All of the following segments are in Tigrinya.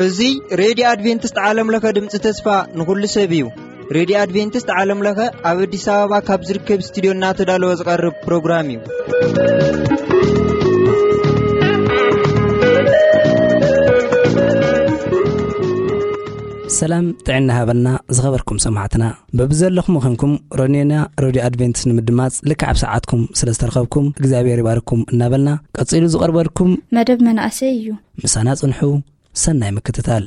እዚ ሬድዮ ኣድቬንቲስት ዓለም ለኸ ድምፂ ተስፋ ንኹሉ ሰብ እዩ። ሬድዮ ኣድቬንቲስት ዓለም ለኸ ኣብ ኣዲስ ኣበባ ካብ ዝርከብ ስቱዲዮ እናተዳለወ ዝቐርብ ፕሮግራም እዩ። ሰላም ጥዕና ሃበልና ዝኸበርኩም ሰማዕትና። በብዘለኹም ኾንኩም ሮኔና ሬድዮ ኣድቬንቲስት ንምድማጽ ልክዕ ኣብ ሰዓትኩም ስለ ዝተረኸብኩም እግዚኣብሔር ይባርኩም እናበልና፣ ቀጺሉ ዝቐርበልኩም መደብ መናእሰይ እዩ። ምሳና ጽንሑ። ሰናይ ምክትታል።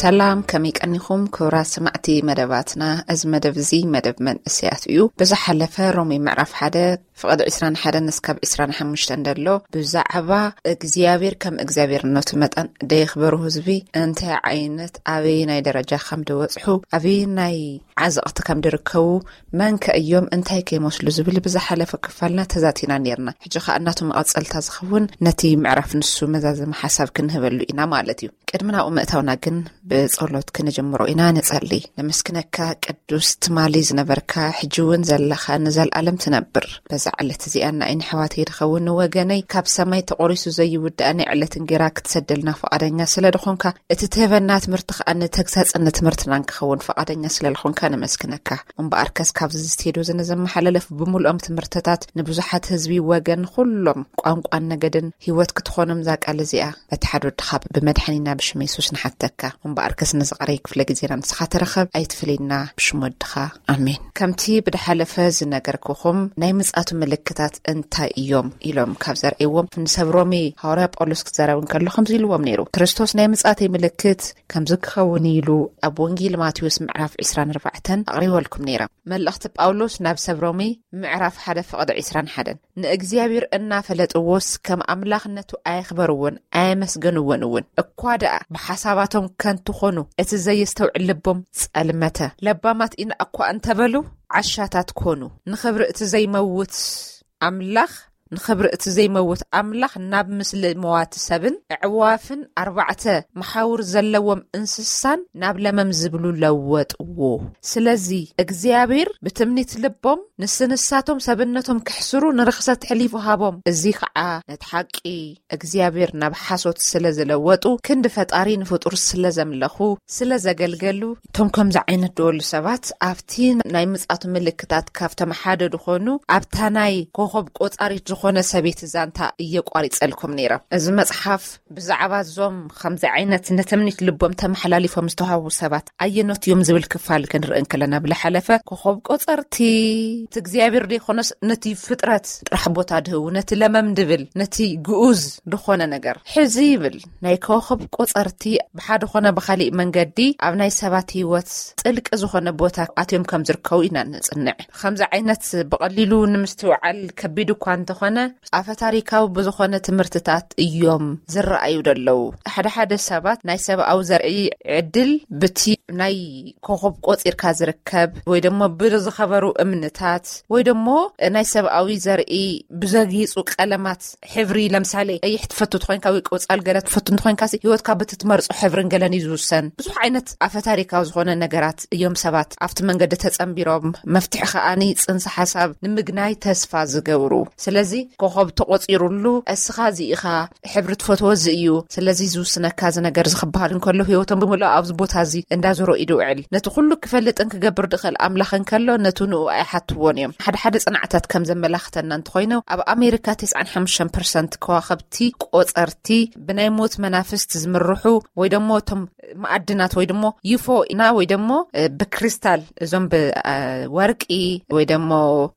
ሰላም፣ ከመይ ቀኒኹም ክቡራት ሰማዕቲ መደባትና? እዚ መደብ እዚ መደብ መንእሰያት እዩ። ብዝሓለፈ ሮሜ ምዕራፍ ሓደ ፍቕዲ ዕስራን ሓደን እስካብ ዕስራን ሓሙሽተን ደሎ፣ ብዛዕባ እግዚኣብሔር ከም እግዚኣብሔርነቱ መጠን ደየኽበሩ ህዝቢ እንታይ ዓይነት ኣበየናይ ደረጃ ከም ደወጽሑ፣ ኣበየናይ ዓዘቕቲ ከም ድርከቡ፣ መን ከ እዮም እንታይ ከይመስሉ ዝብል ብዝሓለፈ ክፋልና ተዛቲና ነርና። ሕጂ ኸኣ እናቱ መቐጸልታ ዝኸውን ነቲ ምዕራፍ ንሱ መዛዘሚ ሓሳብ ክንህበሉ ኢና ማለት እዩ። ቅድሚ ናብኡ ምእታውና ግን ብጸሎት ክንጅምሮ ኢና። ንጸሊ። ነመስግነካ ቅዱስ ትማሊ ዝነበርካ፣ ሕጂ እውን ዘለኻ፣ ንዘለኣለም ትነብር። በዛ ዕለት እዚኣ ንኣይ ንሕዋተይ ድኸውን ንወገነይ ካብ ሰማይ ተቖሪሱ ዘይውዳእ ናይ ዕለት እንጌራ ክትሰደልና ፍቓደኛ ስለ ድኾንካ፣ እቲ ትህበና ትምህርቲ ከኣ ንተግሳጽን ንትምህርትናን ክኸውን ፍቓደኛ ስለ ዝኾንካ ነመስግነካ። እምበኣርከስ ካብዚ ስቴድዮ እዚ ንዘመሓላለፍ ብምሉኦም ትምህርትታት ንብዙሓት ህዝቢ፣ ወገን፣ ኩሎም ቋንቋን ነገድን ህይወት ክትኾኖም እዛ ቃል እዚኣ በቲ ሓደ ወድኻ ብመድሓኒና ብሽም የሱስ ንሓተካ። እምበኣርከስ ነዚ ቀረይ ክፍለ ግዜና ንስኻ ተረኸብ፣ ኣይትፍለየና ብሽም ወድኻ። ኣሜን። ከምቲ ብድሓለፈ ዝነገርኩኹም ናይ ምጻቱ ምልክታት እንታይ እዮም ኢሎም ካብ ዘርእዎም ንሰብ ሮሜ ሃዋርያ ጳውሎስ ክዛረብ እንከሎ ከምዚ ኢልዎም ነይሩ። ክርስቶስ ናይ ምጻተይ ምልክት ከምዚ ክኸውን ኢሉ ኣብ ወንጌል ማቴዎስ ምዕራፍ ዕስራን ኣርባዕተን ኣቕሪበልኩም ነይረ። መልእኽቲ ጳውሎስ ናብ ሰብ ሮሜ ምዕራፍ ሓደ ፍቕዲ ዕስራን ሓደን ንእግዚኣብሔር እናፈለጥዎስ ከም ኣምላኽነቱ ኣየኽበርዎን ኣየመስገንዎን እውን። እኳ ደኣ ብሓሳባቶም ከንቱ ኾኑ፣ እቲ ዘየስተውዕል ልቦም ጸልመተ። ለባማት ኢና እኳ እንተበሉ ዓሻታት ኮኑ። ንኽብሪ እቲ ዘይመውት ኣምላኽ፣ ንኽብሪ እቲ ዘይመውት ኣምላኽ ናብ ምስሊ መዋቲ ሰብን ኣዕዋፍን ኣርባዕተ መሓውር ዘለዎም እንስሳን ናብ ለመም ዝብሉ ለወጥዎ። ስለዚ እግዚኣብሔር ብትምኒት ልቦም ንስንሳቶም ሰብነቶም ክሕስሩ ንርኽሰት ሕሊፉ ሃቦም። እዚ ኸዓ ነቲ ሓቂ እግዚኣብሔር ናብ ሓሶት ስለ ዝለወጡ፣ ክንዲ ፈጣሪ ንፍጡር ስለ ዘምለኹ፣ ስለ ዘገልገሉ፣ እቶም ከምዚ ዓይነት ደወሉ ሰባት ኣብቲ ናይ ምጻቱ ምልክታት ካብቶም ሓደ ዝኾኑ፣ ኣብታ ናይ ኮኸብ ቆጻሪት ዝኾነ ሰበይቲ ዛንታ እየ ቋሪጸልኩም ነይረ። እዚ መጽሓፍ ብዛዕባ እዞም ከምዚ ዓይነት ንትምኒት ልቦም ተመሓላሊፎም ዝተዋህቡ ሰባት ኣየኖት እዮም ዝብል ክፋል ክንርኢ እንከለና፣ ብዝሓለፈ ኮኸብ ቆጸርቲ እቲ እግዚኣብሔር ዘይኮነስ ነቲ ፍጥረት ጥራሕ ቦታ ድህቡ፣ ነቲ ለመም ድብል፣ ነቲ ግኡዝ ድኾነ ነገር ሕዚ ይብል። ናይ ኮኸብ ቆጸርቲ ብሓደ ኾነ ብኻሊእ መንገዲ ኣብ ናይ ሰባት ህይወት ጥልቂ ዝኾነ ቦታ ኣትዮም ከም ዝርከቡ ኢና ንጽንዕ። ከምዚ ዓይነት ብቐሊሉ ንምስትውዓል ከቢድ እኳ እንተኾነ፣ ኣፈ ታሪካዊ ብዝኾነ ትምህርትታት እዮም ዝረኣዩ ዘለዉ። ሓደ ሓደ ሰባት ናይ ሰብኣዊ ዘርኢ ዕድል ብቲ ናይ ኮኸብ ቆጺርካ ዝርከብ ወይ ደሞ ብዝኸበሩ እምንታት ወይ ደሞ ናይ ሰብኣዊ ዘርኢ ብዘጊጹ ቀለማት ሕብሪ፣ ለምሳሌ ቀይሕ ትፈቱ ትኾይንካ ወይ ቆጻል ገለ ትፈቱ እንትኾይንካ ሲ፣ ህይወትካ በቲ ትመርጾ ሕብርን ገለን እዩ ዝውሰን። ብዙሕ ዓይነት ኣፈ ታሪካዊ ዝኾነ ነገራት እዮም ሰባት ኣብቲ መንገዲ ተጸንቢሮም፣ መፍትሒ ከኣኒ ጽንሰ ሓሳብ ንምግናይ ተስፋ ዝገብሩ። ስለዚ ኮኸብ ተቖጺሩሉ፣ እስኻ እዚ ኢኻ፣ ሕብሪ ትፈትዎ እዚ እዩ፣ ስለዚ ዝውስነካ እዚ ነገር እዚ ክበሃል እንከሎ፣ ህይወቶም ብምልኦ ኣብዚ ቦታ እዚ እንዳዞሮ እዩ ድውዕል። ነቲ ኩሉ ክፈልጥን ክገብር ድኽእል ኣምላኽ እንከሎ፣ ነቱ ንኡ ኣይሓትዎን እዮም። ሓደ ሓደ ጽናዕታት ከም ዘመላኽተና እንተኾይኑ፣ ኣብ ኣሜሪካ ተስዓን ሓሙሽተን ፐርሰንት ከዋኸብቲ ቆጸርቲ ብናይ ሞት መናፍስት ዝምርሑ ወይ ደሞ እቶም መኣድናት ወይ ደሞ ዩፎ ኢና ወይ ደሞ፣ እ፣ ብክሪስታል፣ እዞም ብ፣ እ፣ ወርቂ ወይ ደሞ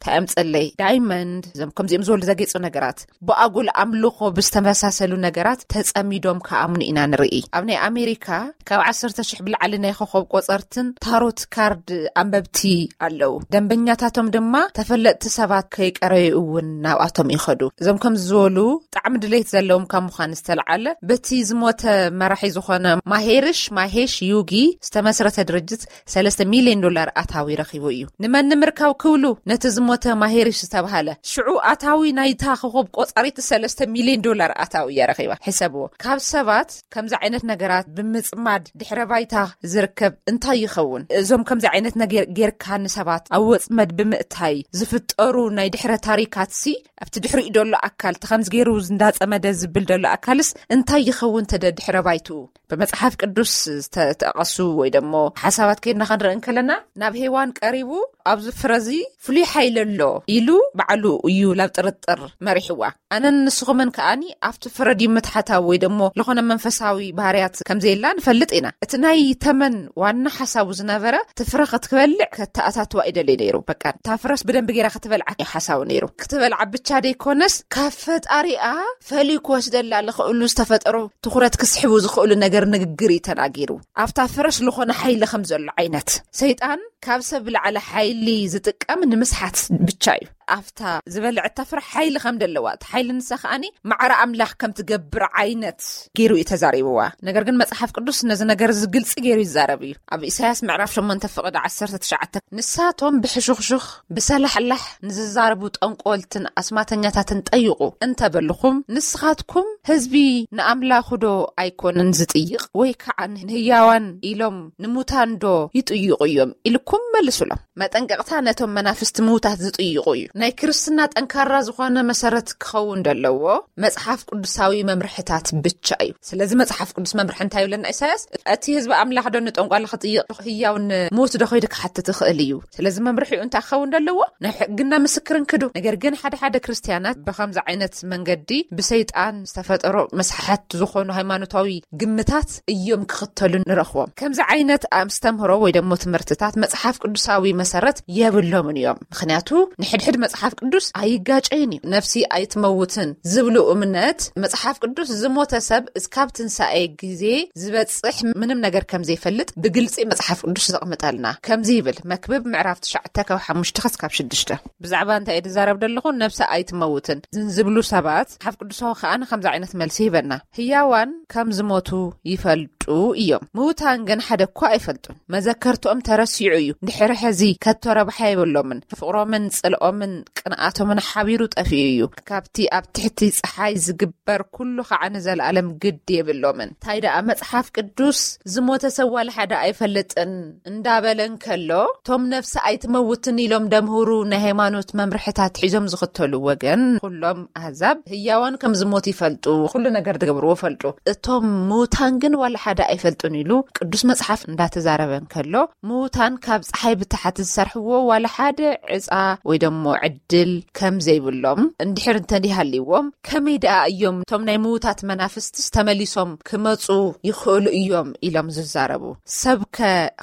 ታእምጸለይ ዳይመንድ፣ እዞም ከምዚኦም ዝበሉ ዘጌጹ ነገራት፣ ብኣጉል ኣምልኾ ብዝተመሳሰሉ ነገራት ተጸሚዶም ክኣምኑ ኢና ንርኢ። ኣብ ናይ ኣሜሪካ ካብ ዓሰርተ ሽሕ ብላዕሊ ናይ ኮኸብ ቆጸርትን ታሮት ካርድ ኣንበብቲ ኣለዉ። ደንበኛታቶም ድማ ተፈለጥቲ ሰባት ከይቀረዩ እውን ናብኣቶም ይኸዱ። እዞም ከም ዝበሉ ጣዕሚ ድሌት ዘለዎም ካብ ምዃን ዝተለዓለ፣ በቲ ዝሞተ መራሒ ዝኾነ ማሄርሽ ማሄሽ ዩጊ ዝተመስረተ ድርጅት ሰለስተ ሚልዮን ዶላር ኣታዊ ረኺቡ እዩ። ንመን ንምርካብ ክብሉ ነቲ ዝሞተ ማሄርሽ ዝተባሃለ ሽዑ ኣታዊ ናይታ ኮኸብ ቆጻሪት ሰለስተ ሚልዮን ዶላር ኣታዊ እያ ረኺባ። ሕሰብዎ፣ ካብ ሰባት ከምዚ ዓይነት ነገራት ብምጽማድ ድሕረ ባይታ ዝርከብ እንታይ ይኸውን? እዞም ከምዚ ዓይነት ነገር ጌርካ ንሰባት ኣብ ወጽመድ ብምእታይ ዝፍጠሩ ናይ ድሕረ ታሪካትሲ፣ ኣብቲ ድሕሪኡ ደሎ ኣካል እቲ ከምዚ ገይሩ እንዳጸመደ ዝብል ደሎ ኣካልስ እንታይ ይኸውን ተደ ድሕረ ባይትኡ? ብመጽሓፍ ቅዱስ ዝተጠቐሱ ወይ ደሞ ሓሳባት ከይድና ክንርኢ እንከለና፣ ናብ ሄዋን ቀሪቡ ኣብዚ ፍረዚ ፍሉይ ሓይሊ ኣሎ ኢሉ ባዕሉ እዩ ናብ ጥርጥር መሪሕዋ። ኣነን ንስኹምን ከኣኒ ኣብቲ ፍረ ድዩ ምትሓታዊ ወይ ደሞ ለኾነ መንፈሳዊ ባህርያት ከም ዘየላ ንፈልጥ ኢና። እቲ ናይ ተመን ዋና ሓሳቡ ዝነበረ እቲ ፍረ ክትበልዕ ከተኣታትዋ ይደሊ ነይሩ። በቃ እታ ፍረስ ብደንብ ገይራ ክትበልዓ እዩ ሓሳቡ ነይሩ። ክትበልዓ ብቻ ደይኮነስ ካብ ፈጣሪኣ ፈልዩ ክወስደላ ልኽእሉ ዝተፈጠሩ ትኹረት ክስሕቡ ዝኽእሉ ነገር ንግግር እዩ ተናጊሩ። ኣብታ ፍረስ ልኾነ ሓይሊ ከም ዘሎ ዓይነት ሰይጣን ካብ ሰብ ብላዕሊ ሓይሊ ዝጥቀም ንምስሓት ብቻ እዩ። ኣብታ ዝበልዐታ ፍረ ሓይሊ ከም ደለዋ፣ እቲ ሓይሊ ንሳ ከኣኒ ማዕረ ኣምላኽ ከም ትገብር ዓይነት ገይሩ እዩ ተዛሪብዋ። ነገር ግን መጽሓፍ ቅዱስ ነዚ ነገር እዚ ግልጺ ገይሩ ይዛረብ እዩ። ኣብ ኢሳያስ ምዕራፍ ሸሞንተ ፍቕዲ ዓሰርተ ትሽዓተ፣ "ንሳቶም ብሕሹኽሹኽ ብሰላሕላሕ ንዝዛረቡ ጠንቆልትን ኣስማተኛታትን ጠይቑ እንተበልኹም፣ ንስኻትኩም ህዝቢ ንኣምላኹ ዶ ኣይኮነን ዝጥይቕ? ወይ ከዓ ንህያዋን ኢሎም ንሙታን ዶ ይጥይቑ እዮም?" ኢልኩም መልሱሎም። መጠንቀቕታ ነቶም መናፍስቲ ምውታት ዝጥይቑ እዩ። ናይ ክርስትና ጠንካራ ዝኾነ መሰረት ክኸውን ዘለዎ መጽሓፍ ቅዱሳዊ መምርሕታት ብቻ እዩ። ስለዚ መጽሓፍ ቅዱስ መምርሒ እንታይ ይብለና ኢሳያስ? እቲ ህዝቢ ኣምላኽ ዶ ንጠንቋሊ ክጥይቕ፣ ህያው ንምውት ዶ ከይዱ ክሓትት ይኽእል እዩ? ስለዚ መምርሒኡ እንታይ ክኸውን ዘለዎ? ናይ ሕግና ምስክርን ክዱ። ነገር ግን ሓደ ሓደ ክርስትያናት ብኸምዚ ዓይነት መንገዲ ብሰይጣን ዝተፈጠሮ መስሓሓት ዝኾኑ ሃይማኖታዊ ግምታት እዮም ክኽተሉ ንረኽቦም። ከምዚ ዓይነት ኣስተምህሮ ወይ ደሞ ትምህርትታት መጽሓፍ ቅዱሳዊ መሰረት የብሎምን እዮም። ምኽንያቱ ንሕድሕድ መጽሓፍ ቅዱስ ኣይጋጨይን እዩ። "ነፍሲ ኣይትመውትን" ዝብሉ እምነት መጽሓፍ ቅዱስ ዝሞተ ሰብ እስካብ ትንሳኤ ግዜ ዝበጽሕ ምንም ነገር ከም ዘይፈልጥ ብግልጺ መጽሓፍ ቅዱስ ዘቕምጠልና። ከምዚ ይብል፣ መክብብ ምዕራፍ ትሽዓተ ካብ ሓሙሽተ ክሳብ ሽዱሽተ። ብዛዕባ እንታይ እየ ዝዛረብ ዘለኹ? ነፍሲ ኣይትመውትን ዝብሉ ሰባት መጽሓፍ ቅዱሳዊ ከኣ ንከምዚ ዓይነት መልሲ ይህበና። ህያዋን ከም ዝሞቱ ይፈልጡ እዮም። ምዉታን ግን ሓደ እኳ ኣይፈልጡን። መዘከርትኦም ተረሲዑ እዩ። ድሕሪ ሕዚ ከቶ ረብሓ የብሎምን። ፍቕሮምን ጽልኦምን ቅንኣቶምን ሓቢሩ ጠፊኡ እዩ። ካብቲ ኣብ ትሕቲ ጸሓይ ዝግበር ኩሉ ኸዓ ንዘለኣለም ግዲ የብሎምን። እንታይ ደኣ መጽሓፍ ቅዱስ ዝሞተ ሰብ ዋላ ሓደ ኣይፈልጥን እንዳበለ እንከሎ፣ እቶም ነፍሲ ኣይትመውትን ኢሎም ደምህሩ ናይ ሃይማኖት መምርሕታት ሒዞም ዝኽተሉ ወገን፣ ኩሎም ኣህዛብ ህያዋን ከም ዝሞት ይፈልጡ፣ ኩሉ ነገር ዝገብርዎ ፈልጡ። እቶም ምዉታን ግን ዋላ ሓደ ኣይፈልጡን ኢሉ ቅዱስ መጽሓፍ እንዳተዛረበ እንከሎ፣ ምዉታን ካብ ጸሓይ ብታሕቲ ዝሰርሕዎ ዋላ ሓደ ዕጻ ወይ ደሞ ዕድል ከም ዘይብሎም፣ እንድሕር እንተደይሃልይዎም ከመይ ደኣ እዮም እቶም ናይ ምዉታት መናፍስትስ ተመሊሶም ክመጹ ይኽእሉ እዮም ኢሎም ዝዛረቡ? ሰብከ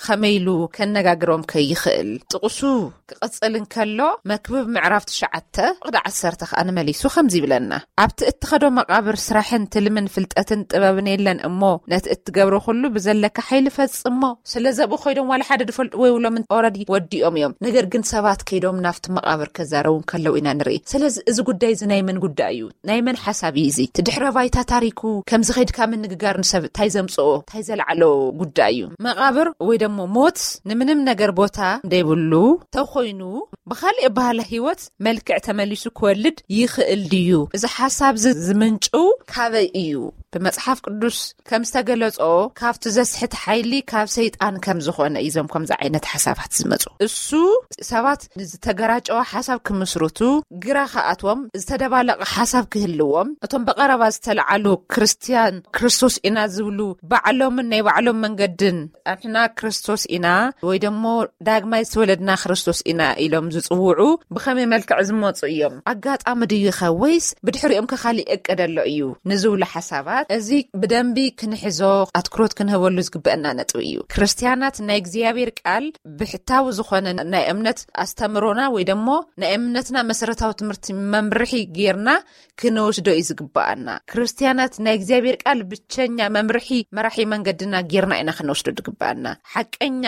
ከመይ ኢሉ ከነጋግሮም ከ ይኽእል? ጥቕሱ ክቕጽል እንከሎ፣ መክብብ ምዕራፍ ትሽዓተ ፍቕዲ ዓሰርተ ከኣ ንመሊሱ ከምዚ ይብለና፣ "ኣብቲ እትኸዶ መቓብር ስራሕን ትልምን ፍልጠትን ጥበብን የለን እሞ፣ ነቲ እትገብሮ ኩሉ ብዘለካ ሓይሊ ፈጽሞ። ስለ ዘብኡ ከይዶም ዋላ ሓደ ድፈልጥዎ የብሎምን፣ ኦረዲ ወዲኦም እዮም። ነገር ግን ሰባት ከይዶም ናብቲ መቓብር ከዛረቡ እንከለዉ ኢና ንርኢ። ስለዚ እዚ ጉዳይ እዚ ናይ መን ጉዳይ እዩ? ናይ መን ሓሳብ እዩ እዚ? እቲ ድሕረ ባይታ ታሪኩ ከምዚ ከይድካ ምንግጋር ንሰብ እንታይ ዘምጽኦ? እንታይ ዘልዓሎ ጉዳይ እዩ?" መቓብር ወይ ደሞ ሞት ንምንም ነገር ቦታ ዘይብሉ ተኾይኑ፣ ብኻልእ ባህላ ህይወት መልክዕ ተመሊሱ ክወልድ ይኽእል ድዩ? እዚ ሓሳብ እዚ ዝምንጭው ካበይ እዩ? ብመጽሓፍ ቅዱስ ከም ዝተገለጾ፣ ካብቲ ዘስሕት ሓይሊ ካብ ሰይጣን ከም ዝኾነ እዩ እዞም ከምዚ ዓይነት ሓሳባት ዝመጹ። እሱ ሰባት ንዝተገራጨወ ሓሳብ ክምስርቱ፣ ግራ ክኣትዎም፣ ዝተደባለቐ ሓሳብ ክህልዎም፣ እቶም ብቐረባ ዝተለዓሉ ክርስትያን ክርስቶስ ኢና ዝብሉ ባዕሎምን ናይ ባዕሎም መንገድን፣ "ኣንሕና ክርስቶስ ኢና" ወይ ደሞ "ዳግማይ ዝተወለድና ክርስቶስ ኢና" ኢሎም ዝጽውዑ ብኸመይ መልክዕ ዝመጹ እዮም? ኣጋጣሚ ድዩ ኸ ወይስ ብድሕሪኦም ከ ካሊእ እቅድ ኣሎ እዩ ንዝብሉ ሓሳባት እዚ ብደንቢ ክንሕዞ ኣትኩሮት ክንህበሉ ዝግበአና ነጥቢ እዩ። ክርስትያናት ናይ እግዚኣብሔር ቃል ብሕታዊ ዝኾነ ናይ እምነት ኣስተምሮና ወይ ደሞ ናይ እምነትና መሰረታዊ ትምህርቲ መምርሒ ጌርና ክንወስዶ እዩ ዝግበኣና። ክርስትያናት ናይ እግዚኣብሔር ቃል ብቸኛ መምርሒ መራሒ መንገድና ጌርና ኢና ክንወስዶ ዝግበኣና። ሓቀኛ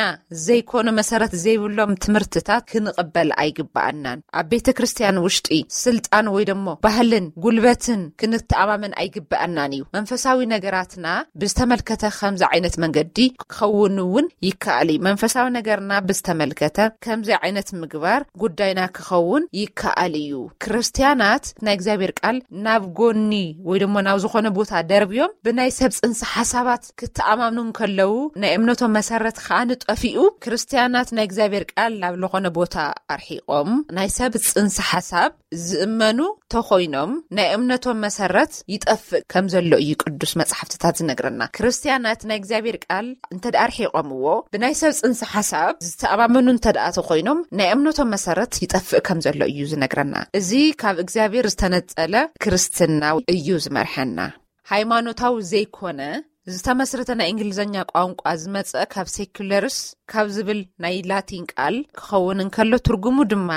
ዘይኮነ መሰረት ዘይብሎም ትምህርትታት ክንቕበል ኣይግበኣናን። ኣብ ቤተ ክርስትያን ውሽጢ ስልጣን ወይ ደሞ ባህልን ጉልበትን ክንተኣማመን ኣይግበኣናን እዩ። መንፈሳዊ ነገራትና ብዝተመልከተ ከምዚ ዓይነት መንገዲ ክኸውን እውን ይከኣል እዩ። መንፈሳዊ ነገርና ብዝተመልከተ ከምዚ ዓይነት ምግባር ጉዳይና ክኸውን ይከኣል እዩ። ክርስትያናት ናይ እግዚኣብሔር ቃል ናብ ጎኒ ወይ ደሞ ናብ ዝኾነ ቦታ ደርብዮም ብናይ ሰብ ጽንሰ ሓሳባት ክተኣማምኑ እንከለዉ ናይ እምነቶም መሰረት ከኣ ንጠፊኡ። ክርስትያናት ናይ እግዚኣብሔር ቃል ናብ ዝኾነ ቦታ ኣርሒቖም ናይ ሰብ ጽንሰ ሓሳብ ዝእመኑ ተኾይኖም ናይ እምነቶም መሰረት ይጠፍእ ከም ዘሎ እዩ ቅዱስ መጽሓፍትታት ዝነግረና። ክርስትያናት ናይ እግዚኣብሔር ቃል እንተ ደኣ ኣርሒቖምዎ ብናይ ሰብ ጽንሰ ሓሳብ ዝተኣማመኑ እንተ ደኣ ተኾይኖም ናይ እምነቶም መሰረት ይጠፍእ ከም ዘሎ እዩ ዝነግረና። እዚ ካብ እግዚኣብሔር ዝተነጸለ ክርስትና እዩ ዝመርሐና። ሃይማኖታዊ ዘይኮነ ዝተመስረተ ናይ እንግሊዝኛ ቋንቋ ዝመጸ ካብ ሴኩለርስ ካብ ዝብል ናይ ላቲን ቃል ክኸውን እንከሎ ትርጉሙ ድማ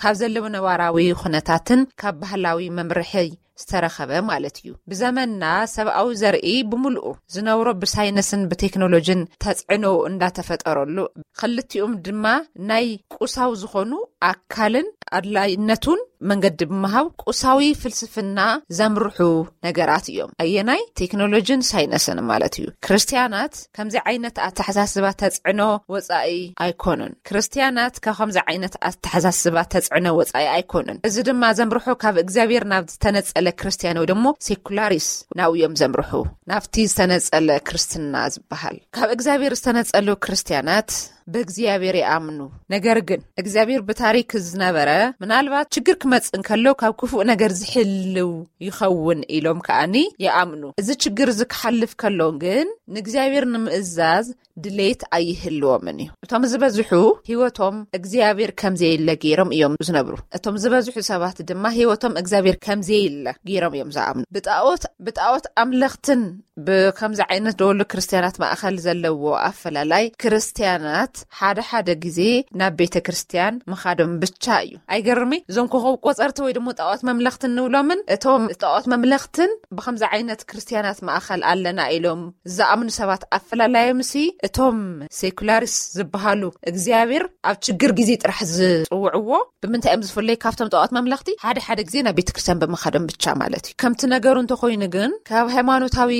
ካብ ዘለዉ ነባራዊ ኩነታትን ካብ ባህላዊ መምርሒ ዝተረኸበ ማለት እዩ። ብዘመንና ሰብኣዊ ዘርኢ ብምልኡ ዝነብሮ ብሳይንስን ብቴክኖሎጂን ተጽዕኖ እንዳተፈጠረሉ፣ ክልቲኦም ድማ ናይ ቁሳዊ ዝኾኑ ኣካልን ኣድላይነቱን መንገዲ ብምሃብ ቁሳዊ ፍልስፍና ዘምርሑ ነገራት እዮም። ኣየናይ? ቴክኖሎጂን ሳይንስን ማለት እዩ። ክርስትያናት ከምዚ ዓይነት ኣተሓሳስባ ተጽዕኖ ወጻኢ ኣይኮኑን። ክርስትያናት ካብ ከምዚ ዓይነት ኣተሓሳስባ ተጽዕኖ ወጻኢ ኣይኮኑን። እዚ ድማ ዘምርሑ ካብ እግዚኣብሔር ናብ ዝተነጸለ ክርስትያን ወይ ደሞ ሴኩላሪስ ናብ እዮም ዘምርሑ፣ ናብቲ ዝተነጸለ ክርስትና ዝበሃል። ካብ እግዚኣብሔር ዝተነጸሉ ክርስትያናት ብእግዚኣብሔር ይኣምኑ። ነገር ግን እግዚኣብሔር ብታሪክ ዝነበረ ምናልባት ችግር ክመጽእ እንከሎ ካብ ክፉእ ነገር ዝሕልው ይኸውን ኢሎም ከኣኒ ይኣምኑ። እዚ ችግር እዚ ክሓልፍ ከሎ ግን ንእግዚኣብሔር ንምእዛዝ ድሌት ኣይህልዎምን እዩ። እቶም ዝበዝሑ ህይወቶም እግዚኣብሔር ከም ዘየለ ገይሮም እዮም ዝነብሩ። እቶም ዝበዝሑ ሰባት ድማ ህይወቶም እግዚኣብሔር ከም ዘየለ ገይሮም እዮም ዝኣምኑ። ብጣዖት፣ ብጣዖት ኣምለኽትን ብከምዚ ዓይነት ደወሉ ክርስትያናት ማእኸል ዘለዎ ኣፈላላይ ክርስትያናት ሓደ ሓደ ግዜ ናብ ቤተ ክርስትያን ምኻዶም ብቻ እዩ። ኣይገርሚ? እዞም ኮኸብ ቆጸርቲ ወይ ድማ ጣዖት መምለኽትን ንብሎምን እቶም ጣዖት መምለኽትን ብከምዚ ዓይነት ክርስትያናት ማእኸል ኣለና ኢሎም ዝኣምኑ ሰባት ኣፈላላዮም ሲ እቶም ሴኩላሪስ ዝበሃሉ እግዚኣብሔር ኣብ ችግር ግዜ ጥራሕ ዝጽውዕዎ ብምንታይ እዮም ዝፍለዩ ካብቶም ጣዖት መምለኽቲ? ሓደ ሓደ ግዜ ናብ ቤተ ክርስትያን ብምኻዶም ብቻ ማለት እዩ። ከምቲ ነገሩ እንተኾይኑ ግን ካብ ሃይማኖታዊ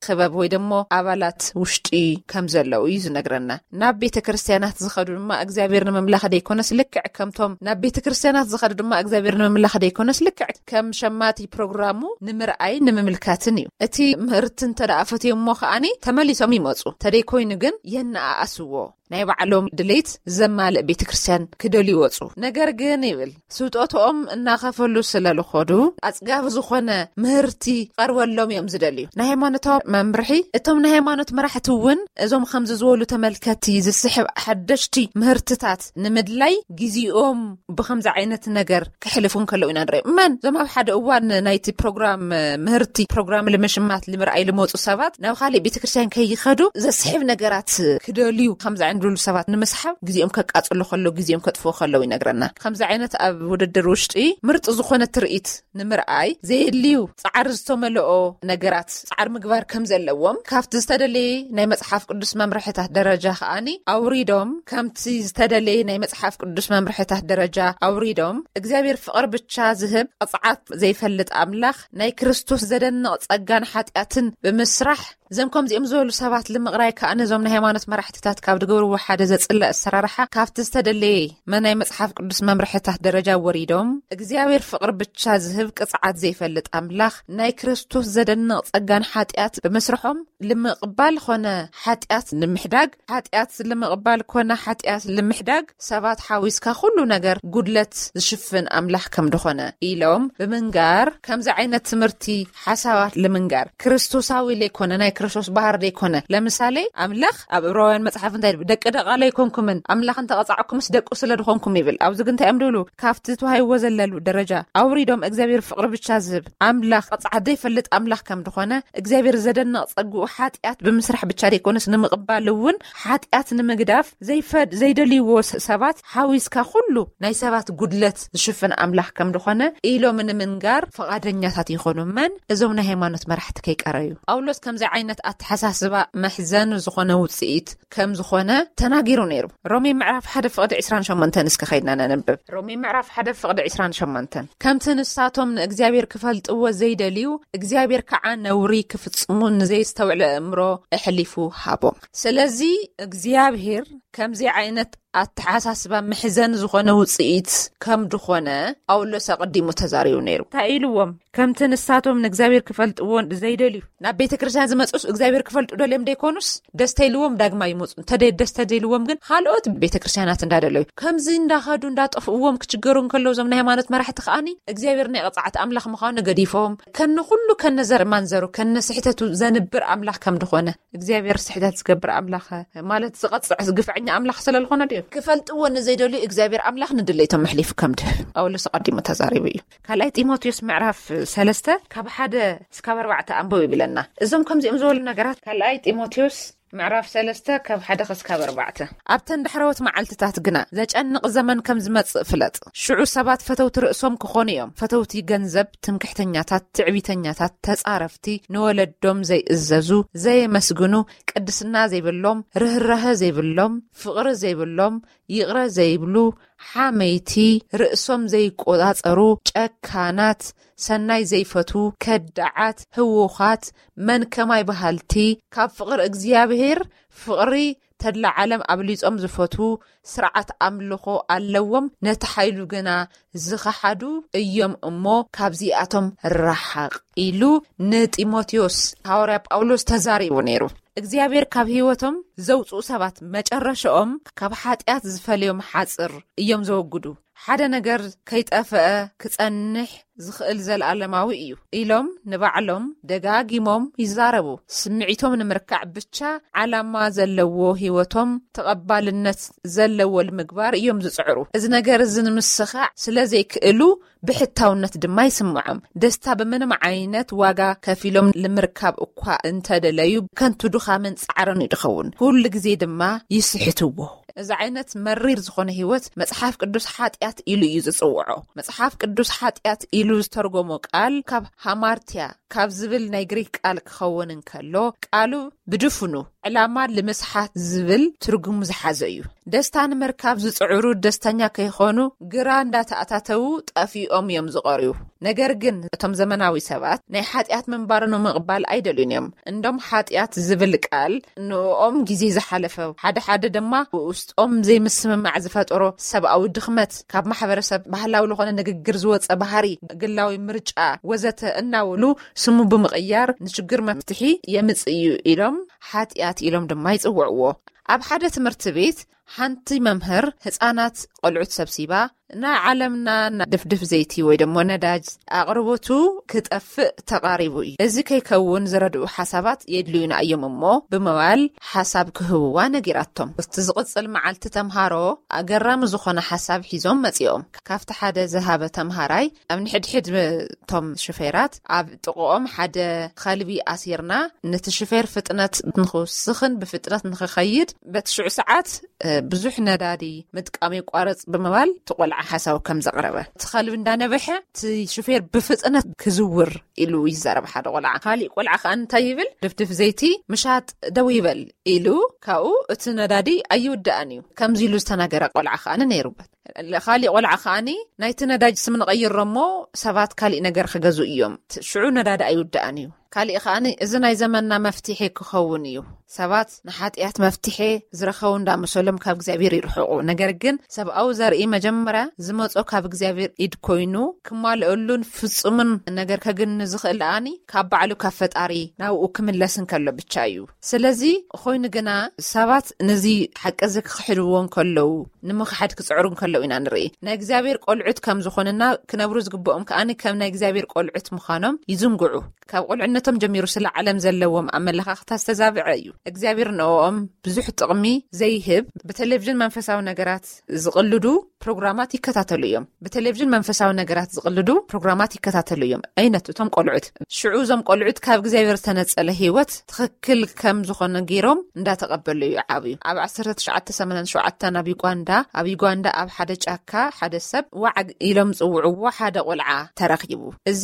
ክበብ ወይ ደሞ ኣባላት ውሽጢ ከም ዘለዉ እዩ ዝነግረና። ናብ ቤተ ክርስትያናት ዝኸዱ ድማ እግዚኣብሔር ንምምላኽ ደይኮነስ ልክዕ ከምቶም ናብ ቤተ ክርስትያናት ዝኸዱ ድማ እግዚኣብሔር ንምምላኽ ደይኮነስ ልክዕ ከም ሸማቲ ፕሮግራሙ ንምርኣይ ንምምልካትን እዩ። እቲ ምህርቲ እንተ ደኣ ፈትዮሞ ከኣኒ ተመሊሶም ይመጹ። ተደይኮይኑ ግን የነኣኣስዎ። ናይ ባዕሎም ድሌት ዘማልእ ቤተ ክርስትያን ክደልዩ ይወጹ። ነገር ግን ይብል ስውጦትኦም እናኸፈሉ ስለ ልኾዱ ኣጽጋቢ ዝኾነ ምህርቲ ቀርበሎም እዮም ዝደልዩ። ናይ ሃይማኖታዊ መምርሒ እቶም ናይ ሃይማኖት መራሕቲ እውን እዞም ከምዚ ዝበሉ ተመልከቲ ዝስሕብ ሓደሽቲ ምህርትታት ንምድላይ ግዜኦም ብኸምዚ ዓይነት ነገር ክሕልፉ እንከለዉ ኢና ንርኢ። እመን እዞም ኣብ ሓደ እዋን ናይቲ ፕሮግራም ምህርቲ ፕሮግራም ልምሽማት ልምርኣይ ልመፁ ሰባት ናብ ካሊእ ቤተክርስትያን ከይኸዱ ዘስሕብ ነገራት ክደልዩ ከምዚ ዓይነት ድሉ ሰባት ንምስሓብ ግዜኦም ከቃፅሉ ከለዉ ግዜኦም ከጥፍኡ ከለዉ ይነግረና። ከምዚ ዓይነት ኣብ ውድድር ውሽጢ ምርጥ ዝኾነ ትርኢት ንምርኣይ ዘየድልዩ ፃዕሪ ዝተመልኦ ነገራት ፃዕሪ ምግባር ከም ዘለዎም ካብቲ ዝተደለየ ናይ መፅሓፍ ቅዱስ መምርሕታት ደረጃ ከኣኒ ኣውሪዶም ከምቲ ዝተደለየ ናይ መፅሓፍ ቅዱስ መምርሕታት ደረጃ ኣውሪዶም እግዚኣብሔር ፍቕር ብቻ ዝህብ ቅፅዓት ዘይፈልጥ ኣምላኽ ናይ ክርስቶስ ዘደንቕ ጸጋን ሓጢኣትን ብምስራሕ እዞም ከምዚኦም ዝበሉ ሰባት ልምቕራይ ከኣ ነዞም ናይ ሃይማኖት መራሕትታት ካብ ድገብርዎ ሓደ ዘጽልእ ኣሰራርሓ ካብቲ ዝተደለየ መናይ መጽሓፍ ቅዱስ መምርሕታት ደረጃ ወሪዶም እግዚኣብሔር ፍቕሪ ብቻ ዝህብ ቅጽዓት ዘይፈልጥ ኣምላኽ ናይ ክርስቶስ ዘደንቕ ጸጋን ሓጢኣት ብምስርሖም ልምቕባል ኾነ ሓጢኣት ንምሕዳግ ሓጢኣት ልምቕባል ኮነ ሓጢኣት ልምሕዳግ ሰባት ሓዊስካ ኩሉ ነገር ጉድለት ዝሽፍን ኣምላኽ ከም ድኾነ ኢሎም ብምንጋር ከምዚ ዓይነት ትምህርቲ ሓሳባት ልምንጋር ክርስቶሳዊ ለይኮነ ናይ ክርስቶስ ባህር ዘይኮነ። ለምሳሌ ኣምላኽ ኣብ ዕብራውያን መጽሓፍ እንታይ ይብል? "ደቂ ደቓለ ኣይኮንኩምን፣ ኣምላኽ እንተቐጻዕኩምስ ደቁ ስለ ዝኾንኩም" ይብል። ኣብዚ ግን እንታይ እዮም ዝብሉ? ካብቲ ተዋሂብዎ ዘለሉ ደረጃ ኣውሪዶም እግዚኣብሔር ፍቕሪ ብቻ ዝህብ ኣምላኽ፣ ቅጽዓት ዘይፈልጥ ኣምላኽ ከም ዝኾነ እግዚኣብሔር ዘደንቕ ጸግኡ ሓጢኣት ብምስራሕ ብቻ ዘይኮነስ ንምቕባል እውን ሓጢኣት ንምግዳፍ ዘይፈድ-፣ ዘይደልይዎ ስ-፣ ሰባት ሓዊስካ ኩሉ ናይ ሰባት ጉድለት ዝሽፍን ኣምላኽ ከም ዝኾነ ኢሎም ንምንጋር ፍቓደኛታት ይኾኑ። መን? እዞም ናይ ሃይማኖት መራሕቲ ከይቀረዩ። ጳውሎስ ከምዚ ዓይነት ኣተሓሳስባ መሕዘን ዝኾነ ውጽኢት ከም ዝኾነ ተናጊሩ ነይሩ። ሮሜ ምዕራፍ ሓደ ፍቕዲ ዕስራን ሸሞንተን እስከ ኸይድና ነንብብ። ሮሜ ምዕራፍ ሓደ ፍቕዲ ዕስራን ሸሞንተን፣ "ከምቲ ንሳቶም ንእግዚኣብሔር ክፈልጥዎ ዘይደልዩ እግዚኣብሔር ከዓ ነውሪ ክፍጽሙ ንዘይስተውዕለ ኣእምሮ ኣሕሊፉ ሃቦም።" ስለዚ እግዚኣብሔር ከምዚ ዓይነት ኣተሓሳስባ ምሕዘን ዝኾነ ውጽኢት ከም ድኾነ ጳውሎስ ኣቐዲሙ ተዛሪቡ ነይሩ። እንታይ ኢልዎም? ከምቲ ንሳቶም ንእግዚኣብሔር ክፈልጥዎ ዘይደልዩ፣ ናብ ቤተ ክርስቲያን ዝመጹስ እግዚኣብሔር ክፈልጡ ደልዮም ደይኮኑስ ደስተ ኢልዎም ዳግማ ይመጹ። እንተ ደይ-፣ ደስተ ደልዎም ግን ካልኦት ቤተ ክርስቲያናት እንዳደለዩ ከምዚ እንዳኸዱ እንዳጠፍእዎም ክችገሩ እንከለዉ እዞም ናይ ሃይማኖት መራሕቲ ከኣኒ እግዚኣብሔር ናይ ቅጽዓት ኣምላኽ ምዃኑ ገዲፎም ከነ ኩሉ ከነ ዘር ማንዘሩ ከነ ስሕተቱ ዘንብር ኣምላኽ ከም ድኾነ እግዚኣብሔር ስሕተት ዝገብር ኣምላኽ ማለት ዝቐጽዕ ግፍዐኛ ኣምላኽ ስለ ዝኾነ ድዩ? ክፈልጥዎ ንዘይደልዩ እግዚኣብሔር ኣምላኽ ንድሌቶም ኣሕሊፉ ከም ድህብ ጳውሎስ ኣቐዲሙ ተዛሪቡ እዩ። ካልኣይ ጢሞቴዎስ ምዕራፍ ሰለስተ ካብ ሓደ እስካብ ኣርባዕተ ኣንብቡ ይብለና። እዞም ከምዚኦም ዝበሉ ነገራት ካልኣይ ጢሞቴዎስ ምዕራፍ ሰለስተ ካብ ሓደ ክስካብ ኣርባዕተ። "ኣብተን ዳሕረዎት መዓልትታት ግና ዘጨንቕ ዘመን ከም ዝመጽእ ፍለጥ። ሽዑ ሰባት ፈተውቲ ርእሶም ክኾኑ እዮም። ፈተውቲ ገንዘብ፣ ትምክሕተኛታት፣ ትዕቢተኛታት፣ ተጻረፍቲ፣ ንወለዶም ዘይእዘዙ፣ ዘየመስግኑ፣ ቅድስና ዘይብሎም፣ ርህራሀ ዘይብሎም፣ ፍቕሪ ዘይብሎም፣ ይቕረ ዘይብሉ፣ ሓመይቲ፣ ርእሶም ዘይቆጻጸሩ፣ ጨካናት፣ ሰናይ ዘይፈቱ፣ ከዳዓት፣ ህዉኻት፣ መን ከማይ በሃልቲ፣ ካብ ፍቕሪ እግዚኣብሔር፣ ፍቕሪ ተድላ ዓለም ኣብሊጾም ዝፈቱ፣ ስርዓት ኣምልኾ ኣለዎም፣ ነቲ ሓይሉ ግና ዝኸሓዱ እዮም እሞ ካብዚኣቶም ረሓቕ ኢሉ ንጢሞቴዎስ ሃዋርያ ጳውሎስ ተዛሪቡ ነይሩ። እግዚኣብሔር ካብ ህይወቶም ዘውፅኡ ሰባት መጨረሻኦም ካብ ሓጢኣት ዝፈልዮም ሓፅር እዮም ዘወግዱ። ሓደ ነገር ከይጠፍአ ክጸንሕ ዝኽእል ዘለዓለማዊ እዩ ኢሎም ንባዕሎም ደጋጊሞም ይዛረቡ። ስምዒቶም ንምርካዕ ብቻ ዓላማ ዘለዎ ህይወቶም ተቐባልነት ዘለዎ ንምግባር እዮም ዝጽዕሩ። እዚ ነገር እዚ ንምስኻዕ ስለ ዘይክእሉ ብሕታውነት ድማ ይስምዖም። ደስታ ብምንም ዓይነት ዋጋ ከፊሎም ንምርካብ እኳ እንተደለዩ ከንቱ ድኻምን ጻዕርን እዩ ድኸውን። ኩሉ ግዜ ድማ ይስሕትዎ። እዚ ዓይነት መሪር ዝኾነ ህይወት መጽሓፍ ቅዱስ ሓጢኣት ኢሉ እዩ ዝጽውዖ። መጽሓፍ ቅዱስ ሓጢኣት ኢሉ ዝተርጎሞ ቃል ካብ ሃማርቲያ ካብ ዝብል ናይ ግሪክ ቃል ክኸውን እንከሎ፣ ቃሉ ብድፍኑ ዕላማ ንምስሓት ዝብል ትርጉም ዝሓዘ እዩ። ደስታ ንምርካብ ዝጽዕሩ ደስተኛ ከይኾኑ ግራ እንዳተኣታተዉ ጠፊኦም እዮም ዝቐርዩ። ነገር ግን እቶም ዘመናዊ ሰባት ናይ ሓጢኣት ምንባር ንምቕባል ኣይደልዩን እዮም። እንዶም ሓጢኣት ዝብል ቃል ንኦም ግዜ ዝሓለፈ፣ ሓደ ሓደ ድማ ውስጦም ዘይምስምማዕ ዝፈጠሮ ሰብኣዊ ድኽመት፣ ካብ ማሕበረሰብ ባህላዊ ዝኾነ ንግግር ዝወፀ ባህሪ፣ ግላዊ ምርጫ ወዘተ እናበሉ ስሙ ብምቕያር ንችግር መፍትሒ የምፅእ እዩ ኢሎም ሓጢኣት ኢሎም ድማ ይፅውዕዎ። ኣብ ሓደ ትምህርቲ ቤት ሓንቲ መምህር ህፃናት ቆልዑት ሰብሲባ ናይ ዓለምና ድፍድፍ ዘይቲ ወይ ደሞ ነዳጅ ኣቕርቦቱ ክጠፍእ ተቓሪቡ እዩ። እዚ ከይከውን ዝረድኡ ሓሳባት የድልዩና እዮም እሞ ብምባል ሓሳብ ክህብዋ ነጊራቶም። እቲ ዝቕጽል መዓልቲ ተምሃሮ ኣገራሚ ዝኾነ ሓሳብ ሒዞም መጺኦም። ካብቲ ሓደ ዝሃበ ተምሃራይ ኣብ ንሕድሕድ እቶም ሽፌራት ኣብ ጥቕኦም ሓደ ኸልቢ ኣሲርና ነቲ ሽፌር ፍጥነት ንኽውስኽን ብፍጥነት ንኽኸይድ በቲ ሽዑ ሰዓት ብዙሕ ነዳዲ ምጥቃም የቋርጽ ብምባል እቲ ቆልዓ ሓሳቡ ከም ዘቕረበ፣ እቲ ከልቢ እንዳነበሐ እቲ ሹፌር ብፍጥነት ክዝውር ኢሉ ይዛረብ ሓደ ቆልዓ። ካሊእ ቆልዓ ከኣ እንታይ ይብል? ድፍድፍ ዘይቲ ምሻጥ ደው ይበል ኢሉ ካብኡ እቲ ነዳዲ ኣይውዳእን እዩ ከምዚ ኢሉ ዝተናገረ ቆልዓ ከኣ ነይሩበት። ካሊእ ቆልዓ ከኣኒ ናይቲ ነዳጅ ስም ንቐይሮ እሞ ሰባት ካሊእ ነገር ክገዝኡ እዮም። ሽዑ ነዳዲ ኣይውዳእን እዩ። ካሊእ ከኣኒ እዚ ናይ ዘመንና መፍትሒ ክኸውን እዩ። ሰባት ንሓጢኣት መፍትሒ ዝረኸቡ እንዳመሰሎም ካብ እግዚኣብሔር ይርሕቑ። ነገር ግን ሰብኣዊ ዘርኢ መጀመርያ ዝመጾ ካብ እግዚኣብሔር ኢድ ኮይኑ ክማልአሉን ፍጹምን ነገር ከግኒ ዝኽእል ኣኒ ካብ ባዕሉ ካብ ፈጣሪ ናብኡ ክምለስ እንከሎ ብቻ እዩ። ስለዚ ኮይኑ ግና ሰባት ነዚ ሓቂ እዚ ክኽሕድዎ እንከለዉ፣ ንምኽሓድ ክጽዕሩ እንከለዉ ኢና ንርኢ። ናይ እግዚኣብሔር ቆልዑት ከም ዝኾንና ክነብሩ ዝግብኦም ከኣኒ ከም ናይ እግዚኣብሔር ቆልዑት ምዃኖም ይዝንግዑ። ካብ ቆልዕነቶም ጀሚሩ ስለ ዓለም ዘለዎም ኣመለኻኽታ ዝተዛብዐ እዩ። እግዚኣብሔር ንኦም ብዙሕ ጥቕሚ ዘይህብ ብቴሌቪዥን መንፈሳዊ ነገራት ዝቕልዱ ፕሮግራማት ይከታተሉ እዮም። ብቴሌቪዥን መንፈሳዊ ነገራት ዝቕልዱ ፕሮግራማት ይከታተሉ እዮም። ኣይነት እቶም ቆልዑት ሽዑ እዞም ቆልዑት ካብ እግዚኣብሔር ዝተነጸለ ህይወት ትኽክል ከም ዝኾነ ገይሮም እንዳተቐበሉ እዩ ዓብዩ። ኣብ ዓሰርተ ትሽዓተ ሰማንያን ሸውዓተን ኣብ ዩጋንዳ ኣብ ዩጋንዳ ኣብ ሓደ ጫካ ሓደ ሰብ ዋዓግ ኢሎም ዝጽውዕዎ ሓደ ቆልዓ ተረኺቡ። እዚ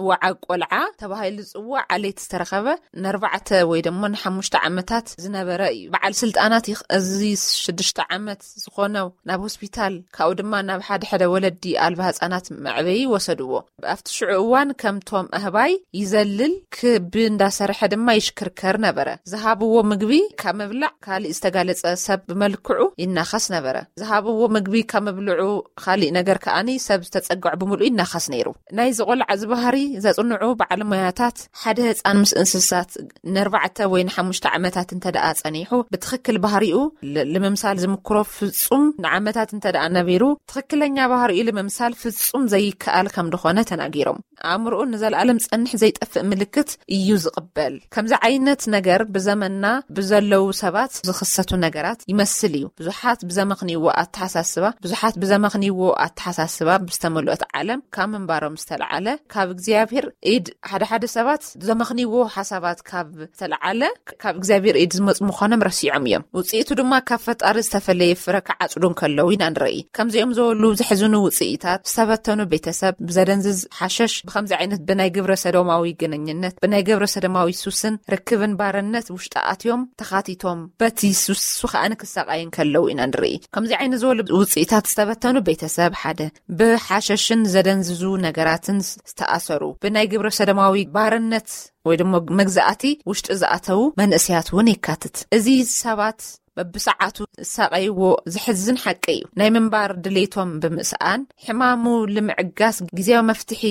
ዋዓግ ቆልዓ ተባሂሉ ዝጽዋዕ ዓሌት ዝተረኸበ ንኣርባዕተ ወይ ደሞ ንሓሙሽተ ዓመታት ዝነበረ እዩ። በዓል ስልጣናት ይኽ- እዚ ሽዱሽተ ዓመት ዝኾነው ናብ ሆስፒታል ካብኡ ድማ ናብ ሓደ ሓደ ወለዲ ኣልባ ህጻናት መዕበዪ ወሰድዎ። ኣብቲ ሽዑ እዋን ከምቶም ኣህባይ ይዘልል ክቢ እንዳሰርሐ ድማ ይሽክርከር ነበረ። ዝሃብዎ ምግቢ ካብ ምብላዕ ካልእ ዝተጋለጸ ሰብ ብመልክዑ ይናኸስ ነበረ። ዝሃብዎ ምግቢ ካብ ምብልዑ ካልእ ነገር ከኣኒ ሰብ ዝተጸግዖ ብምሉእ ይናኸስ ነይሩ። ናይ ዝቆልዓ ዝበሃሪ ዘጽንዑ በዓል ሞያታት ሓደ ህፃን ምስ እንስሳት ንኣርባዕተ ወይ ንሓሙሽተ ዓመታት እንተ ደኣ ጸኒሑ ብትኽክል ባህሪኡ ል- ልምምሳል ዝምክሮ ፍጹም ንዓመታት እንተ ደኣ ነቢሩ ትኽክለኛ ባህሪኡ ልምምሳል ፍጹም ዘይከኣል ከም ዝኾነ ተናጊሮም። ኣእምሮኡ ንዘለኣለም ጸንሕ ዘይጠፍእ ምልክት እዩ ዝቕበል። ከምዚ ዓይነት ነገር ብዘመንና ብዘለዉ ሰባት ዝኽሰቱ ነገራት ይመስል እዩ። ብዙሓት ብዘመኽንይዎ ኣተሓሳስባ ብዙሓት ብዘመኽንይዎ ኣተሓሳስባ ብዝተመልኦት ዓለም ካብ ምንባሮም ዝተለዓለ ካብ እግዚኣብሔር ኢድ ሓደ ሓደ ሰባት ዘመኽንይዎ ሓሳባት ካብ ዝተለዓለ ካብ እግዚኣብሔር ኢድ ዝመፁ ምዃኖም ረሲዖም እዮም። ውፅኢቱ ድማ ካብ ፈጣሪ ዝተፈለየ ፍረ ክዓፅዱ እንከለዉ ኢና ንርኢ። ከምዚኦም ዝበሉ ዘሕዝኑ ውፅኢታት ዝተበተኑ ቤተሰብ ብዘደንዝዝ ሓሸሽ ብከምዚ ዓይነት ብናይ ግብረ ሰዶማዊ ግንኙነት ብናይ ግብረ ሰዶማዊ ሱስን ርክብን ባርነት ውሽጢ ኣትዮም ተኻቲቶም በቲ ሱስ ከኣ ንክሰቃይ እንከለዉ ኢና ንርኢ። ከምዚ ዓይነት ዝበሉ ውፅኢታት ዝተበተኑ ቤተሰብ ሓደ ብሓሸሽን ዘደንዝዙ ነገራትን ዝተኣሰሩ ብናይ ግብረ ሰዶማዊ ባርነት ወይ ድማ መግዛእቲ ውሽጢ ዝኣተዉ መንእሰያት እውን የካትት። እዚ ሰባት በብሰዓቱ ዝሳቀይዎ ዘሕዝን ሓቂ እዩ። ናይ ምንባር ድሌቶም ብምስኣን ሕማሙ ንምዕጋስ ግዜያዊ መፍትሒ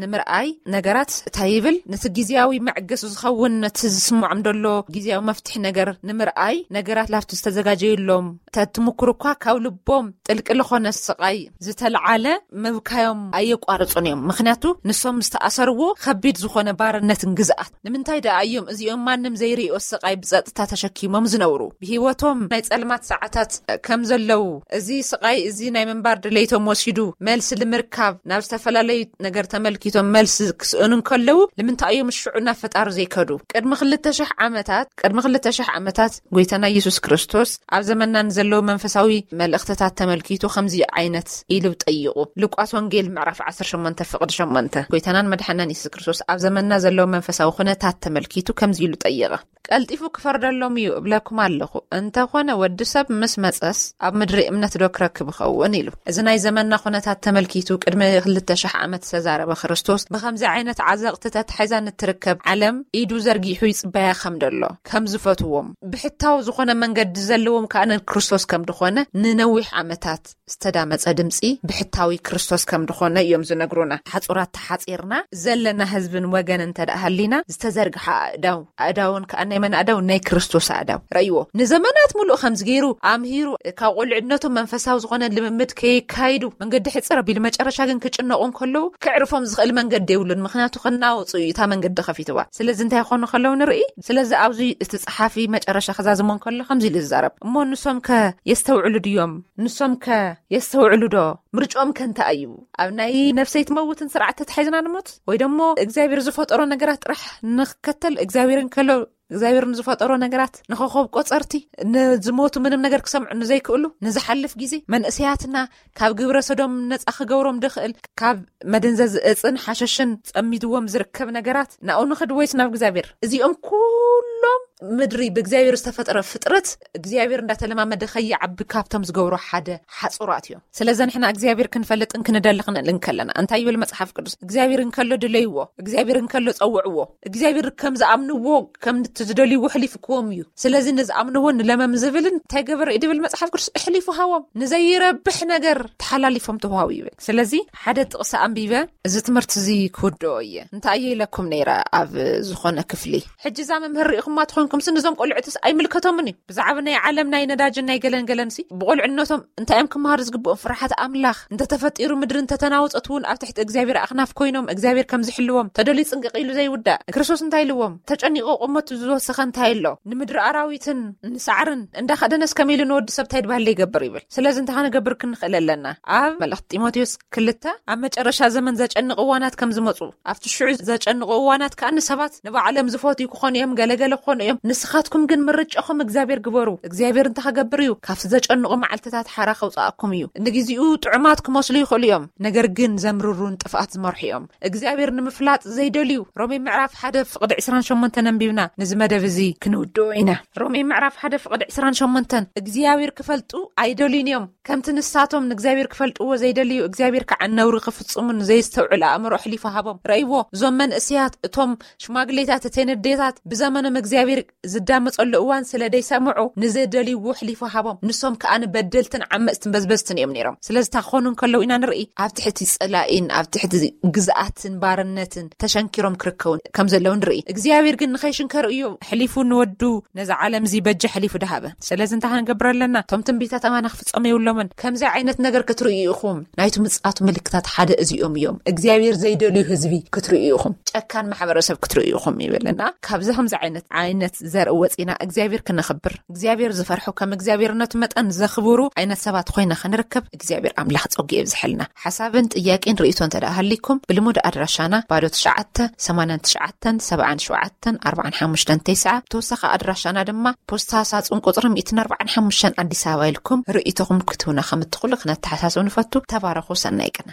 ንምርኣይ ነገራት እንታይ ይብል? ነቲ ግዜያዊ መዕገሲ ዝኸውን ነቲ ዝስምዖም ዘሎ ግዜያዊ መፍትሒ ነገር ንምርኣይ ነገራት ላብቲ ዝተዘጋጀየሎም ተትምክሩ እኳ ካብ ልቦም ጥልቂ ዝኾነ ስቓይ ዝተለዓለ ምብካዮም ኣየቋርጹን እዮም። ምኽንያቱ ንሶም ዝተኣሰርዎ ከቢድ ዝኾነ ባርነትን ግዝኣት ንምንታይ ደኣ እዮም እዚኦም ማንም ዘይርእዮ ስቓይ ብጸጥታ ተሸኪሞም ዝነብሩ? ብህይወቶም ናይ ጸልማት ሰዓታት ከም ዘለዉ፣ እዚ ስቓይ እዚ ናይ ምንባር ድሌቶም ወሲዱ መልሲ ንምርካብ ናብ ዝተፈላለዩ ነገር ተመልኪቶም መልሲ ክስእኑ እንከለዉ ንምንታይ እዮም ሽዑ ናብ ፈጣሪ ዘይከዱ? ቅድሚ ክልተ ሽሕ ዓመታት ቅድሚ ክልተ ሽሕ ዓመታት ጎይታና ኢየሱስ ክርስቶስ ኣብ ዘመንና ንዘለዉ መንፈሳዊ መልእኽትታት ተመልኪቱ ከምዚ ዓይነት ኢሉ ጠይቑ። ሉቃስ ወንጌል ምዕራፍ ዓሰርተ ሸሞንተ ፍቕዲ ሸሞንተ ጎይታናን መድሓናን ኢየሱስ ክርስቶስ ኣብ ዘመንና ዘለዉ መንፈሳዊ ኩነታት ተመልኪቱ ከምዚ ኢሉ ጠየቐ። ቀልጢፉ ክፈርደሎም እዩ እብለኩም ኣለኹ። እንተኾነ ወዲ ሰብ ምስ መጸስ ኣብ ምድሪ እምነት ዶ ክረክብ ይኸውን ኢሉ። እዚ ናይ ዘመንና ኩነታት ተመልኪቱ ቅድሚ ክልተ ሽሕ ዓመት ዝተዛረበ ክርስቶስ ብኸምዚ ዓይነት ዓዘቕቲ ተታሒዛ ንትርከብ ዓለም ኢዱ ዘርጊሑ ይጽበያ ከም ደሎ ከም ዝፈትዎም ብሕታዊ ዝኾነ መንገዲ ዘለዎም ከኣ ንክርስቶስ ከም ድኾነ ንነዊሕ ዓመታት ዝተዳመጸ ድምጺ ብሕታዊ ክርስቶስ ከም ድኾነ እዮም ዝነግሩና። ሓጹራት ተሓጺርና ዘለና ህዝብን ወገን እንተ ደኣ ሃሊና ዝተዘርግሐ ኣእዳው ኣእዳውን ከኣ ናይ መን ኣእዳው ናይ ክርስቶስ ኣእዳው ረእይዎ። ንዘመናት ሙሉእ ከምዚ ገይሩ ኣምሂሩ ካብ ቁልዕነቶም መንፈሳዊ ዝኾነ ልምምድ ከየካይዱ መንገዲ ሕጽር ኣቢሉ መጨረሻ ግን ክጭነቑ እንከለዉ ክዕርፎም ዝኽእል መንገዲ የብሉን። ምኽንያቱ ክናወጹ እዩ እታ መንገዲ ከፊትዋ። ስለዚ እንታይ ይኾኑ ከለዉ ንርኢ። ስለዚ ኣብዚ እቲ ጸሓፊ መጨረሻ ክዛዝሞ እንከሎ ከምዚ ኢሉ ዝዛረብ እሞ ንሶም ከ የስተውዕሉ ድዮም? ንሶም ከ የስተውዕሉ ዶ? ምርጫኦም ከ እንታይ እዩ? ኣብ ናይ ነፍሰይ ትመውትን ስርዓት ተታሒዝና ንሞት ወይ ደሞ እግዚኣብሔር ዝፈጠሮ ነገራት ጥራሕ ንክከተል እግዚኣብሔር እንከሎ እግዚኣብሔር ንዝፈጠሮ ነገራት ንኸኸብ ቆጸርቲ ንዝሞቱ ምንም ነገር ክሰምዑ ንዘይክእሉ ንዝሓልፍ ግዜ መንእሰያትና ካብ ግብረ ሰዶም ነጻ ክገብሮም ድኽእል ካብ መደንዘዚ እጽን ሓሸሽን ጸሚድዎም ዝርከብ ነገራት ናኡ ንኽድ ወይስ ናብ እግዚኣብሔር? እዚኦም ኩሎም ምድሪ ብእግዚኣብሔር ዝተፈጠረ ፍጥረት እግዚኣብሔር እንዳተለማመደ ከይዓቢ ካብቶም ዝገብሮ ሓደ ሓጹራት እዮም። ስለዚ ንሕና እግዚኣብሔር ክንፈልጥን ክንደሊ ክንእል እንከለና እንታይ ይብል መጽሓፍ ቅዱስ? እግዚኣብሔር እንከሎ ድለይዎ፣ እግዚኣብሔር እንከሎ ጸውዕዎ። እግዚኣብሔር ከም ዝኣምንዎ ከም እቲ ዝደልይዎ ሕሊፉ ክዎም እዩ። ስለዚ ንዝኣምንዎ ንለመም ዝብልን እንታይ ገበረ እዩ ድብል መጽሓፍ ቅዱስ? እሕሊፉ ሃዎም። ንዘይረብሕ ነገር ተሓላሊፎም ተዋሃቡ ይብል። ስለዚ ሓደ ጥቕሲ ኣንቢበ እዚ ትምህርቲ እዚ ክውድኦ እየ። እንታይ እየ ኢለኩም ነይረ ኣብ ዝኾነ ክፍሊ? ሕጂ እዛ መምህር ርኢኹማ ትኾንኩም ሲ ንዞም ቆልዑትስ ኣይምልከቶምን እዩ። ብዛዕባ ናይ ዓለም ናይ ነዳጅን ናይ ገለን ገለን ሲ ብቆልዕነቶም እንታይ እዮም ክመሃሩ ዝግብኦም? ፍርሓት ኣምላኽ። እንተተፈጢሩ ምድሪ እንተተናወጸት እውን ኣብ ትሕቲ እግዚኣብሔር ኣኽናፍ ኮይኖም እግዚኣብሔር ከም ዝሕልዎም ተደልዩ ጽንቅቕ ኢሉ ዘይውዳእ። ክርስቶስ እንታይ ኢልዎም? ተጨኒቑ ቁመቱ ዝወሰኸ እንታይ ኣሎ? ንምድሪ ኣራዊትን ንሳዕርን እንዳኸደነስ ከመይ ኢሉ ንወዲ ሰብ እንታይ ድባህለ ይገብር ይብል። ስለዚ እንታይ ክንገብር ክንኽእል ኣለና? ኣብ መልእኽቲ ጢሞቴዎስ ክልተ ኣብ መጨረሻ ዘመን ዘጨንቕ እዋናት ከም ዝመጹ፣ ኣብቲ ሽዑ ዘጨንቑ እዋናት ከኣ ንሰባት ንባዕሎም ዝፈትዩ ክኾኑ እዮም፣ ገለገለ ክኾኑ እዮም። ንስኻትኩም ግን ምርጫኹም እግዚኣብሔር ግበሩ። እግዚኣብሔር እንታይ ክገብር እዩ? ካብቲ ዘጨንቑ መዓልትታት ሓራ ከውጽኣኩም እዩ። ንግዜኡ ጥዑማት ክመስሉ ይኽእሉ እዮም፣ ነገር ግን ዘምርሩን ጥፍኣት ዝመርሑ እዮም። እግዚኣብሔር ንምፍላጥ ዘይደልዩ። ሮሜ ምዕራፍ ሓደ ፍቕዲ ዕስራን ሸሞንተን ኣንቢብና ነዚ መደብ እዚ ክንውድኦ ኢና። ሮሜ ምዕራፍ ሓደ ፍቕዲ ዕስራን ሸሞንተን እግዚኣብሔር ክፈልጡ ኣይደልዩን እዮም። ከምቲ ንሳቶም ንእግዚኣብሔር ክፈልጥዎ ዘይደልዩ፣ እግዚኣብሔር ከዓ ነውሪ ክፍጽሙን ዘየስተውዕል ኣእምሮ ኣሕሊፉ ሃቦም። ረእይዎ፣ እዞም መንእሰያት፣ እቶም ሽማግሌታት፣ እተን ኣዴታት ብዘመኖም እግዚኣብሔር ዝዳመጸሉ እዋን ስለ ደይሰምዑ ንዘደልይዎ ኣሕሊፉ ሃቦም። ንሶም ከዓ ንበደልትን ዓመጽትን በዝበዝትን እዮም ነይሮም። ስለዚ እታ ክኾኑ እንከለዉ ኢና ንርኢ፣ ኣብ ትሕቲ ጸላኢን ኣብ ትሕቲ ግዝኣትን ባርነትን ተሸንኪሮም ክርከቡ ከም ዘለዉ ንርኢ። እግዚኣብሔር ግን ንኸይሽንከሩ እዩ ኣሕሊፉ ንወዱ ነዛ ዓለም እዚ በጃ ኣሕሊፉ ድሃበ። ስለዚ እንታይ ክንገብር ኣለና? እቶም ትንቢታት ኣማና ክፍጸሙ የብሎምን። ከምዚ ዓይነት ነገር ክትርእዩ ኢኹም። ናይቲ ምጽኣቱ ምልክታት ሓደ እዚኦም እዮም። እግዚኣብሔር ዘይደልዩ ህዝቢ ክትርእዩ ኢኹም። ጨካን ማሕበረሰብ ክትርእዩ ኢኹም ይብልና። ካብዚ ከምዚ ዓይነት፣ ዓይነት ዘርኢ ወጺና እግዚኣብሔር ክነኽብር፣ እግዚኣብሔር ዝፈርሑ፣ ከም እግዚኣብሔርነቱ መጠን ዘኽብሩ ዓይነት ሰባት ኮይና ክንርከብ እግዚኣብሔር ኣምላኽ ጸጉ የብዝሐልና። ሓሳብን ጥያቄን ርእይቶ እንተ ደኣ ሃሊኩም ብልሙድ ኣድራሻና ባዶ ትሽዓተ ሰማንያን ትሽዓተን ሰብዓን ሸውዓተን ኣርባዓን ሓሙሽተን ተስዓ፣ ተወሳኺ ኣድራሻና ድማ ፖስታ ሳጹን ቁጽሪ ሚእትን ኣርባዓን ሓሙሽተን ኣዲስ ኣበባ ኢልኩም ርእይቶኹም ክትህቡና ከም እትኽእሉ ክነተሓሳስብ ንፈቱ። ተባረኹ። ሰናይ ቅነ።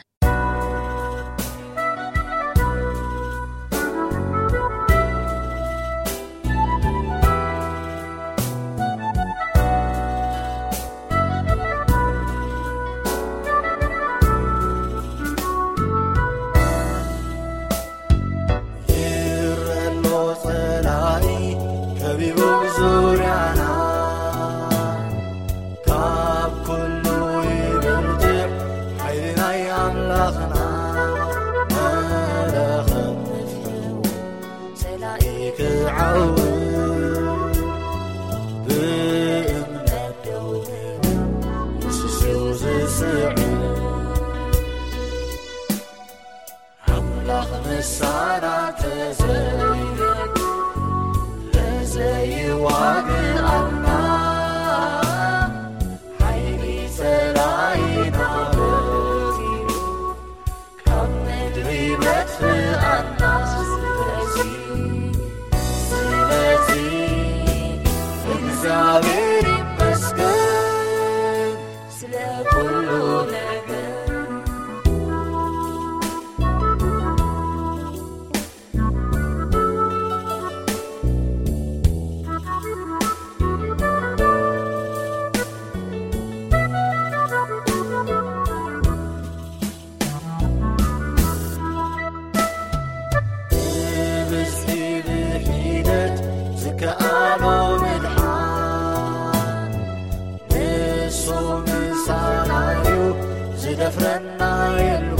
ይረሎ ጸላኢ ከቢቡ ዙርያና፣ ካብ ኩሉ ይበልጽዕ ሓይሊ ናይ ኣምላኽና። መለኸት ንፍሕዎ ጸላኢ ክዓውት ብእምነት ደው ንብል ንስሱ ዝስዕብ። ኣምላኽ ምሳና ተዘይረድ ለዘይዋግኣና ሓይሊ ጸላኢና በቲሩ ካብ ምድሪ መጥፍኣና። ስለዚ፣ ስለዚ እግዚኣብሔር ይመስገን ስለ ኩሉ ነገር። ብብዝሒ ብሒደት ዝከኣሎ ምድሓን ንሱ ምሳና እዩ፣ ዝደፍረና የለን።